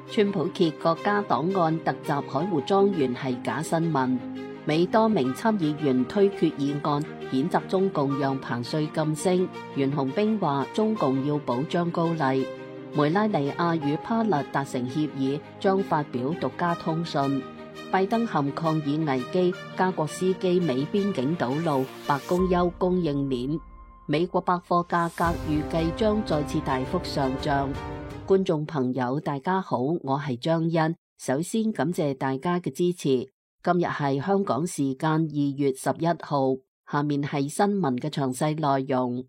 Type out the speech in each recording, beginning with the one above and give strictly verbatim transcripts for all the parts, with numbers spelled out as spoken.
川普揭國家檔案突襲海湖莊園係假新聞。美多名參議員推決議案，譴責中共讓彭帥晉升。袁洪兵話中共要保障高麗。梅拉尼亞與巴勒達成協議，將發表獨家通訊。拜登陷抗議危機，加國司機美邊境堵路，白宮憂供應鏈。美國百貨價格預計將再次大幅上漲。觀眾朋友大家好，我係張欣，首先感謝大家嘅支持。今日係香港時間二月十一號，下面係新聞嘅詳細內容。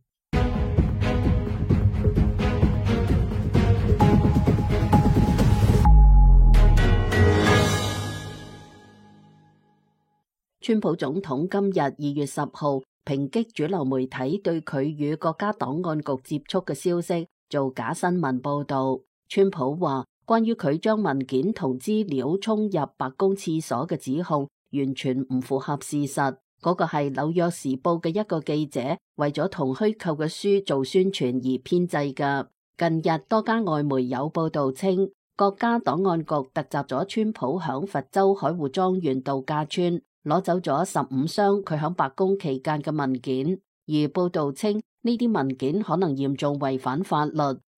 川普總統今日二月十號抨擊主流媒體對佢與國家檔案局接觸嘅消息做假新聞報道。川普話，關於佢將文件同資料沖入白宮廁所嘅指控，完全唔符合事實。嗰個係紐約時報嘅一個記者為咗同虛構嘅書做宣傳而編製嘅。近日多家外媒有報道稱，國家檔案局突襲咗川普響佛州海湖莊園度假村，攞走咗十五箱佢響白宮期間嘅文件。而報道稱呢啲文件可能嚴重違反法律。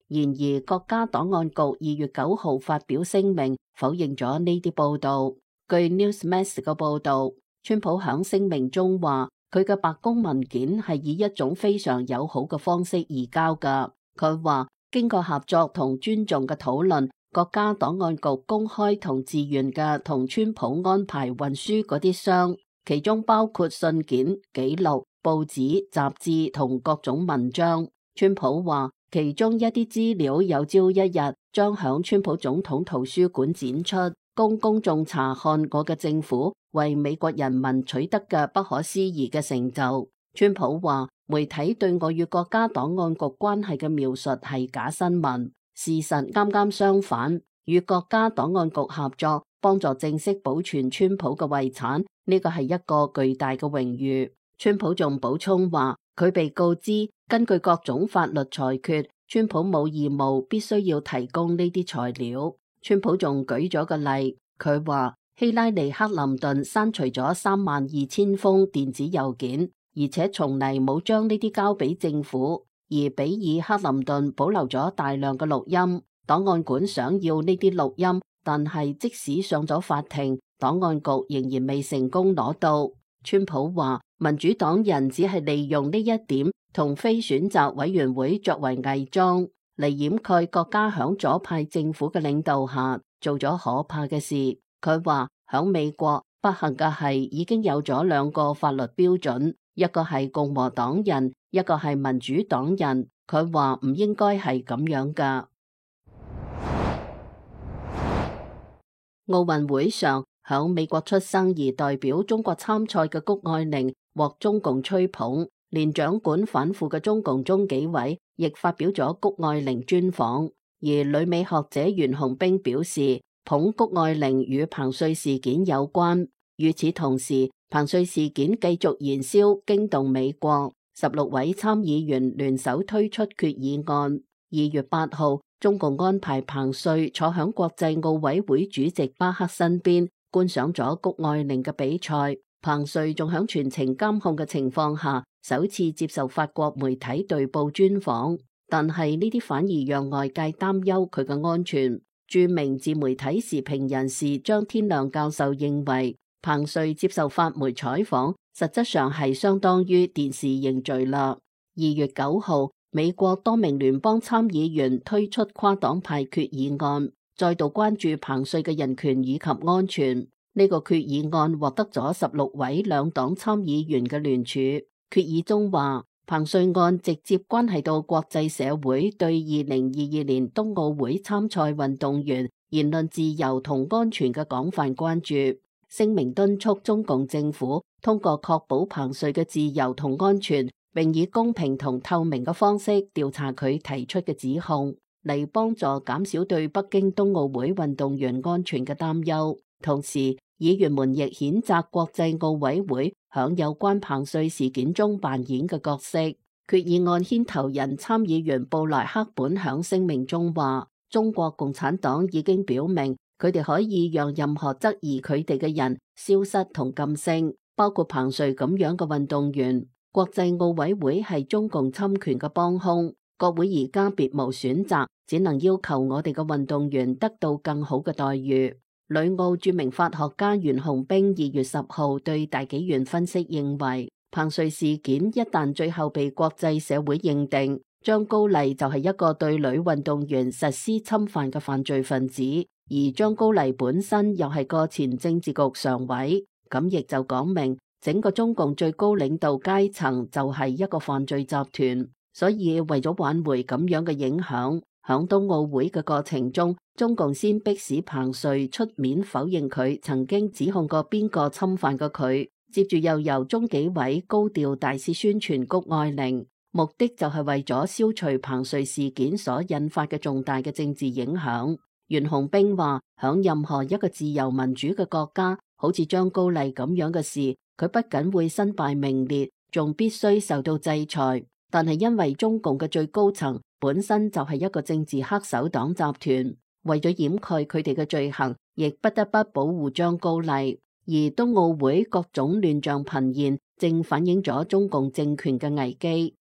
然而，國家檔案局二月九號發表聲明，否認咗呢啲報道。據 Newsmax 嘅報道，川普響聲明中話，佢嘅白宮文件係以一種非常友好嘅方式移交㗎。佢話，經過合作同尊重嘅討論，國家檔案局公開同自願嘅同川普安排運輸嗰啲箱，其中包括信件、記錄、報紙、雜誌同各種文章。川普話，其中一啲資料有朝一日將響川普總統圖書館展出，供公眾查看我嘅政府為美國人民取得嘅不可思議嘅成就。川普話，媒體對我與國家檔案局關係嘅描述係假新聞，事實啱啱相反。與國家檔案局合作，幫助正式保存川普嘅遺產，呢個係一個巨大嘅榮譽。川普仲補充話，佢被告知根據各種法律裁決，川普冇義務必須要提供呢啲材料。川普仲舉咗個例，佢話希拉里克林頓刪除咗三萬二千封電子郵件，而且從嚟冇將呢啲交俾政府，而比爾克林頓保留咗大量嘅錄音。檔案館想要呢啲錄音，但係即使上咗法庭，檔案局仍然未成功攞到。川普話，民主黨人只係利用呢一點同非選擇委員會作為偽裝，嚟掩蓋國家響左派政府嘅領導下做咗可怕嘅事。佢話響美國不幸嘅係已經有咗兩個法律標準，一個係共和黨人，一個係民主黨人。佢話唔應該係咁樣噶。奧運會上，響美國出生而代表中國參賽嘅谷愛凌獲中共吹捧，連掌管反腐嘅中共中紀委亦發表咗谷愛凌專訪。而旅美學者袁洪兵表示，捧谷愛凌與彭帥事件有關。與此同時，彭帥事件繼續燃燒，驚動美國，十六位參議員聯手推出決議案。二月八號，中共安排彭帥坐響國際奧委會主席巴克身邊，觀賞咗谷愛凌嘅比賽。彭帥仲響全程監控嘅情況下，首次接受法國媒體對報專訪。但係呢啲反而讓外界擔憂佢嘅安全。著名自媒體時評人士張天亮教授認為，彭帥接受法媒採訪，實質上係相當於電視認罪啦。二月九號，美國多名聯邦參議員推出跨黨派決議案，再度關注彭帥嘅人權以及安全。呢、這個決議案獲得咗十六位兩黨參議員嘅聯署。決議中話，彭帥案直接關係到國際社會對二零二二年冬奧會參賽運動員言論自由同安全嘅廣泛關注。聲明敦促中共政府通過確保彭帥嘅自由同安全，並以公平同透明嘅方式調查佢提出嘅指控，嚟幫助減少對北京冬奧會運動員安全嘅擔憂。同時，議員們亦譴責國際奧委會響有關彭帥事件中扮演嘅角色。決議案牽頭人參議員布萊克本響聲明中話，中國共產黨已經表明，佢哋可以讓任何質疑佢哋嘅人消失同噤聲，包括彭帥咁樣嘅運動員。國際奧委會係中共侵權嘅幫兇，國會而家別無選擇，只能要求我哋嘅運動員得到更好嘅待遇。旅奧著名法學家袁洪兵二月十號對大紀元分析認為，彭帥事件一旦最後被國際社會認定，張高麗就係一個對女運動員實施侵犯嘅犯罪分子，而張高麗本身又係個前政治局常委，咁亦就講明整個中共最高領導階層就係一個犯罪集團。所以為咗挽回咁樣嘅影響，響冬奧會嘅過程中，中共先迫使彭帥出面否認佢曾經指控過邊個侵犯過佢，接住又由中紀委高調大肆宣傳谷愛凌，目的就係為咗消除彭帥事件所引發嘅重大嘅政治影響。袁洪兵話，響任何一個自由民主嘅國家，好似張高麗咁樣嘅事，佢不僅會身敗名裂，仲必須受到制裁。但係因為中共嘅最高層本身就係一個政治黑手黨集團，為咗掩蓋佢哋嘅罪行，亦不得不保護張高麗。而冬奧會各種亂象頻現，正反映咗中共政權嘅危機。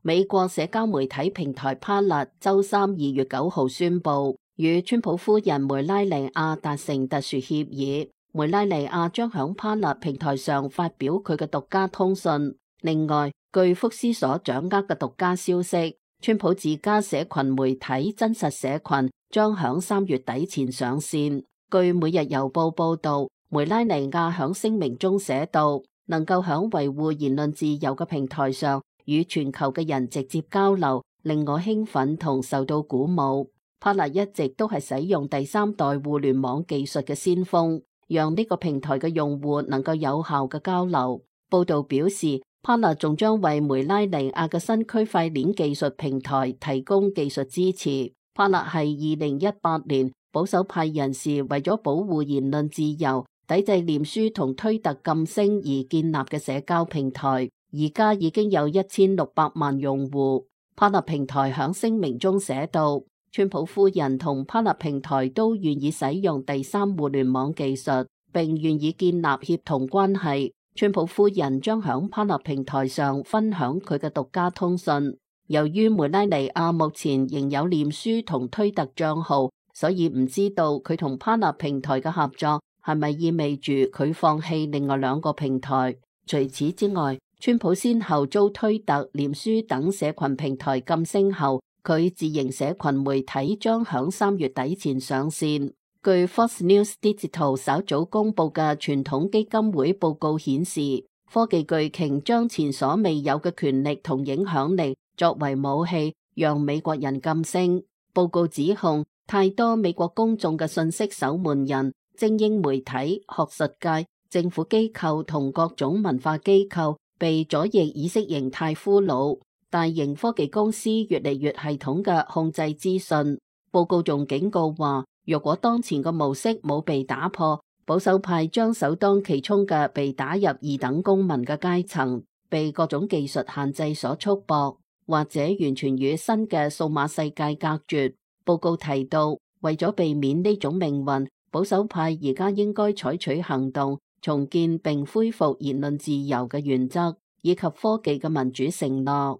美國社交媒體平台 Parler 周三二月九號宣布，與川普夫人梅拉尼亞達成特殊協議，梅拉尼亞將響 Parler 平台上發表佢嘅獨家通訊。另外，據福斯所掌握嘅獨家消息，川普自家社群媒體真實社群將響三月底前上線。據每日郵報報道，梅拉尼亞響聲明中寫道，能夠響維護言論自由嘅平台上與全球嘅人直接交流，令我興奮同受到鼓舞。Parler一直都係使用第三代互聯網技術嘅先鋒，讓呢個平台嘅用戶能夠有效嘅交流。報道表示，Parler仲將為梅拉尼亞嘅新區塊鏈技術平台提供技術支持。Parler係二零一八年保守派人士為咗保護言論自由、抵制臉書同推特禁聲而建立嘅社交平台，而家已經有一千六百萬用戶。Parler平台響聲明中寫道，川普夫人同 Parler平台都願意使用第三互聯網技術，並願意建立協同關係。川普夫人將響 Parler平台上分享佢嘅獨家通訊。由於梅拉尼亞目前仍有臉書同推特賬號，所以唔知道佢同 Parler平台嘅合作係咪意味住佢放棄另外兩個平台。除此之外，川普先後遭推特、臉書等社群平台禁聲後，佢自營社群媒體將響三月底前上線。據 Fox News Digital 稍早公布嘅傳統基金會報告顯示，科技巨鯨將前所未有嘅權力同影響力作為武器，讓美國人噤聲。報告指控太多美國公眾嘅信息守門人、精英媒體、學術界、政府機構同各種文化機構被左翼意識形態俘虜。大型科技公司越嚟越系統嘅控制資訊。報告仲警告話，若果當前嘅模式冇被打破，保守派將首當其衝嘅被打入二等公民嘅階層，被各種技術限制所束縛，或者完全與新嘅數碼世界隔絕。報告提到，為咗避免呢種命運，保守派而家應該採取行動，重建並恢復言論自由嘅原則，以及科技嘅民主承諾。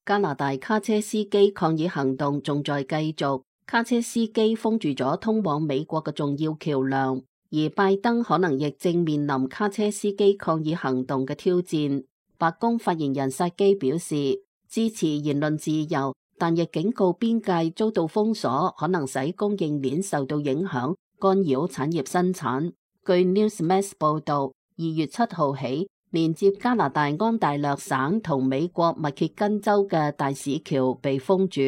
加拿大卡車司機抗議行動仲在繼續，卡車司機封住咗通往美國嘅重要橋樑，而拜登可能亦正面臨卡車司機抗議行動嘅挑戰。白宮發言人薩基表示，支持言論自由，但亦警告邊界遭到封鎖可能使供應鏈受到影響，干擾產業生產。據 Newsmax 報道，二月七號起，連接加拿大安大略省同美國密歇根州嘅大使橋被封住。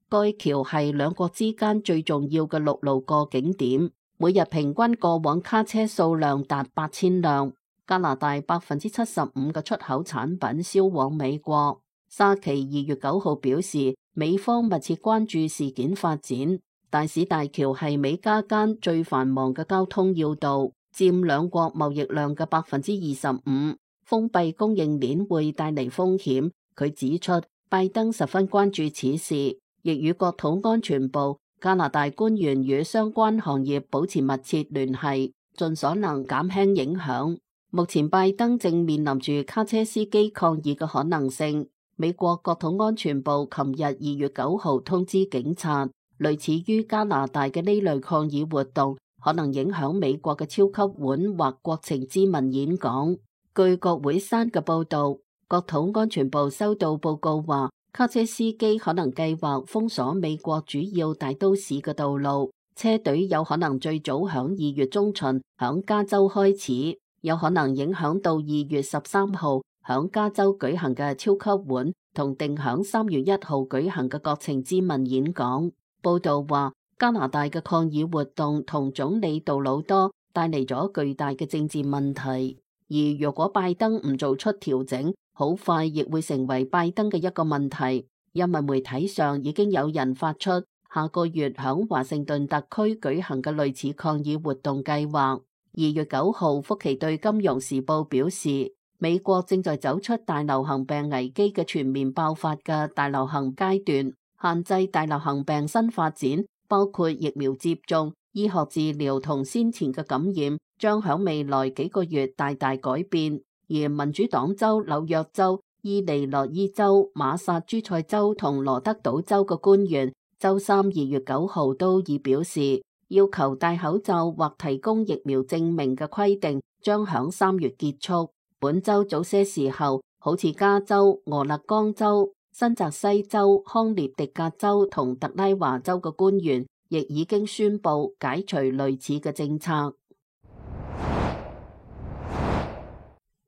該橋係兩國之間最重要嘅陸路過境點，每日平均過往卡車數量達八千輛。加拿大百分之七十五嘅出口產品銷往美國。沙奇二月九號表示，美方密切關注事件發展。大使大橋係美加間最繁忙嘅交通要道，佔兩國貿易量嘅百分之二十五。封閉供應鏈會帶嚟風險。佢指出，拜登十分關注此事，亦與國土安全部、加拿大官員與相關行業保持密切聯繫，盡所能減輕影響。目前拜登正面臨住卡車司機抗議嘅可能性。美國國土安全部琴日二月九號通知警察，類似於加拿大嘅呢類抗議活動可能影響美國嘅超級碗或國情咨文演講。據國會山嘅報道，國土安全部收到報告話，卡車司機可能計劃封鎖美國主要大都市嘅道路，車隊有可能最早響二月中旬響加州開始，有可能影響到二月十三號響加州舉行嘅超級碗同定響三月一號舉行嘅國情咨文演講。報道話，加拿大嘅抗議活動同總理杜魯多帶嚟咗巨大嘅政治問題，而若果拜登唔做出調整，好快亦會成為拜登嘅一個問題。因為媒體上已經有人發出下個月響華盛頓特區舉行嘅類似抗議活動計劃。二月九號，福奇對金融時報表示，美國正在走出大流行病危機嘅全面爆發嘅大流行階段，限制大流行病新發展，包括疫苗接種、醫學治療同先前嘅感染，將響未來幾個月大大改變。而民主黨州、紐約州、伊利諾伊州、馬薩諸塞州同羅德島州嘅官員，周三二月九號都已表示，要求戴口罩或提供疫苗證明嘅規定將響三月結束。本周早些時候，好似加州、俄勒岡州、新澤西州、康涅狄格州同特拉華州嘅官員，亦已經宣布解除類似嘅政策。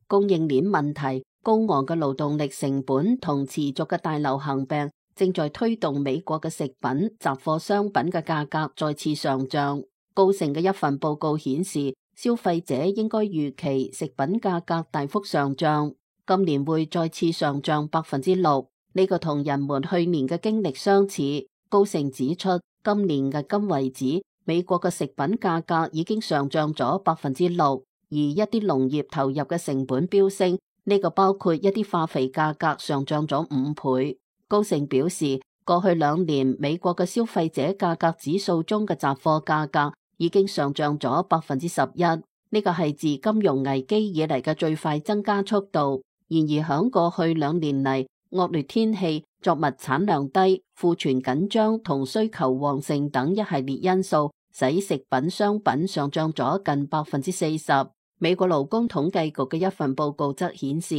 供應鏈問題、高昂嘅勞動力成本同持續嘅大流行病，正在推動美國嘅食品、雜貨商品嘅價格再次上漲。高盛嘅一份報告顯示，消費者應該預期食品價格大幅上漲，今年會再次上漲百分之六。呢個同人們去年嘅經歷相似。高盛指出，今年至今為止，美國嘅食品價格已經上漲咗百分之六，而一啲農業投入嘅成本飆升，呢個包括一啲化肥價格上漲咗五倍。高盛表示，過去兩年美國嘅消費者價格指數中嘅雜貨價格已經上漲咗百分之十一，呢個係自金融危機以嚟嘅最快增加速度。然而響過去兩年嚟，惡劣天氣、作物產量低、庫存緊張同需求旺盛等一系列因素，使食品商品上漲咗近百分之四十。美國勞工統計局嘅一份報告則顯示，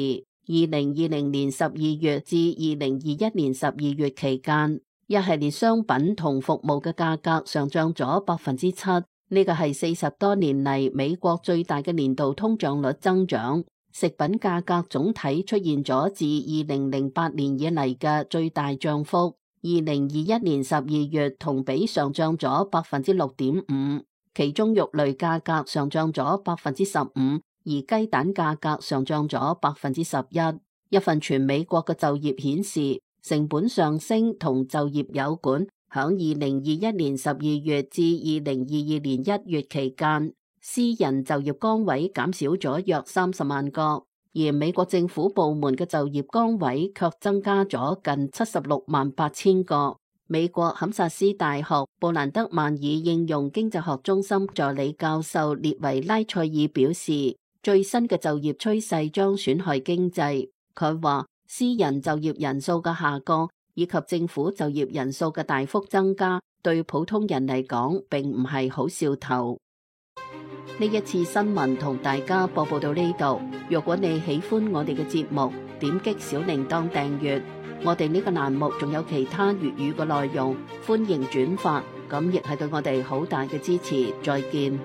二零二零年十二月至二零二一年十二月期間，一系列商品同服務嘅價格上漲咗百分之七，呢個係四十多年嚟美國最大嘅年度通脹率增長。食品價格總體出現咗自二零零八年以嚟嘅最大漲幅。二零二一年十二月同比上漲咗百分之六點五，其中肉類價格上漲咗百分之十五，而雞蛋價格上漲咗百分之十一。一份全美國嘅就業顯示，成本上升同就業有關。響二零二一年十二月至二零二二年一月期間，私人就業崗位減少咗約三十萬個，而美國政府部門嘅就業崗位卻增加咗近七十六萬八千個。美國堪薩斯大學布蘭德曼爾應用經濟學中心助理教授列維拉塞爾表示，最新嘅就業趨勢將損害經濟。佢話，私人就業人數嘅下降以及政府就業人數嘅大幅增加，對普通人嚟講並唔係好兆頭。呢一次新聞同大家播報到呢度。若果你喜歡我哋嘅節目，點擊小鈴鐺訂閱。我哋呢個欄目仲有其他粵語嘅內容，歡迎轉發，咁亦係對我哋好大嘅支持。再見。